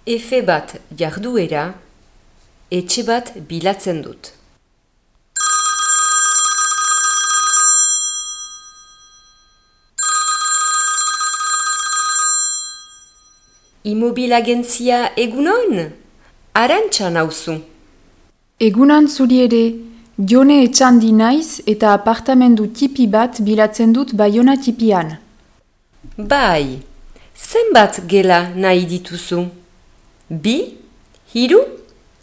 Efe bat jarduera, etxe bat bilatzen dut. Imobilagentzia egunon? Arantxa nauzu. Egunan zuri ere, Jone Etxandi naiz eta apartamendu tipi bat bilatzen dut Baiona tipian. Bai, zenbat gela nahi dituzu? 2? 3?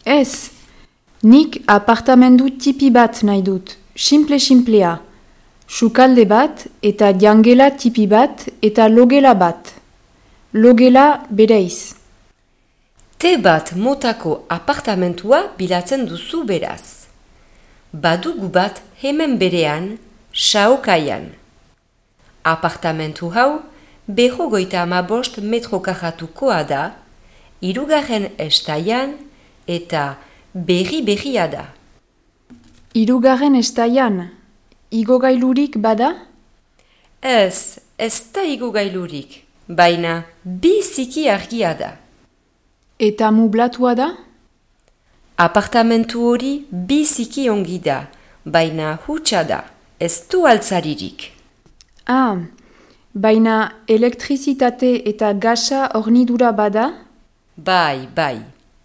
Ez, nik apartamendu tipi bat nahi dut, simplea. Sukalde bat eta jangela tipi bat eta logela bat. Logela bereiz. Te bat motako apartamentua bilatzen duzu beraz. Badugu bat hemen berean, Saokaian. Apartamentu hau 55 metro karratukoa da, 3. estaian eta berria da. 3. estaian, igogailurik bada? Ez da igogailurik, baina biziki argia da. Eta mublatua da? Apartamentu hori biziki ongi da, baina hutsa da, ez du altzaririk. Baina elektrizitate eta gasa hornidura bada? Bai,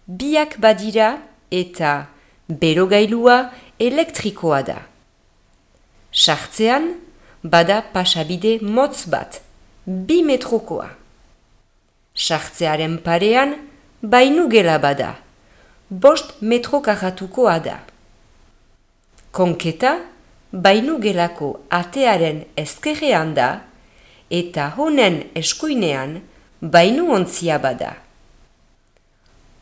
biak badira eta berogailua elektrikoa da. Sartzean, bada pasabide motz bat, 2 metrokoa. Sartzearen parean, bainugela bada, 5 metro karratukoa da. Konketa, bainugelako atearen ezkerrean da, eta honen eskuinean bainuontzia bada.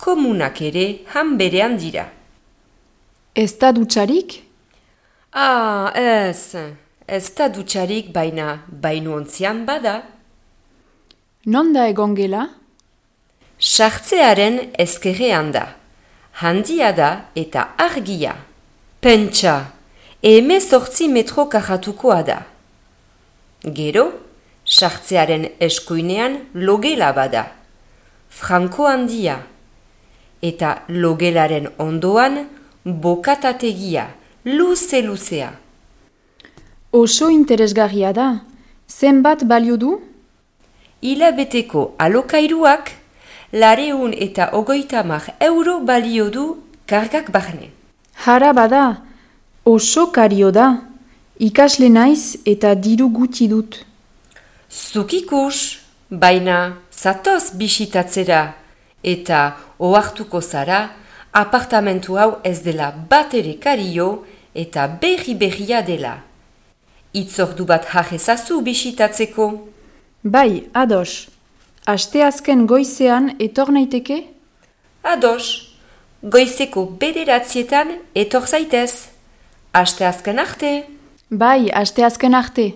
Komunak ere han berean dira. Ez da dutxarik? Ez da dutxarik baina bainuontzian bada. Non da egon gela? Sartzearen ezkerrean da. Handia da eta argia. Pentsa, 18 metro karratukoa da. Gero, sartzearen eskuinean logela bada. Franko handia. Eta logelaren ondoan bokatategia, luzea. Oso interesgarria da. Zenbat balio du? Hilabeteko alokairuak 250 euro balio du kargak barne. Hara bada, oso kario da. Ikasle naiz eta diru gutxi dut. Zuk ikus, baina zatoz bisitatzera eta ohartuko zara apartamentu hau ez dela bat ere kario eta berria dela. Itzordu bat jajezazu bisitatzeko. Bai, ados. Asteazken goizean etor naiteke? Ados, goizeko 9 etor zaitez. Asteazken arte. Bai, asteazken arte.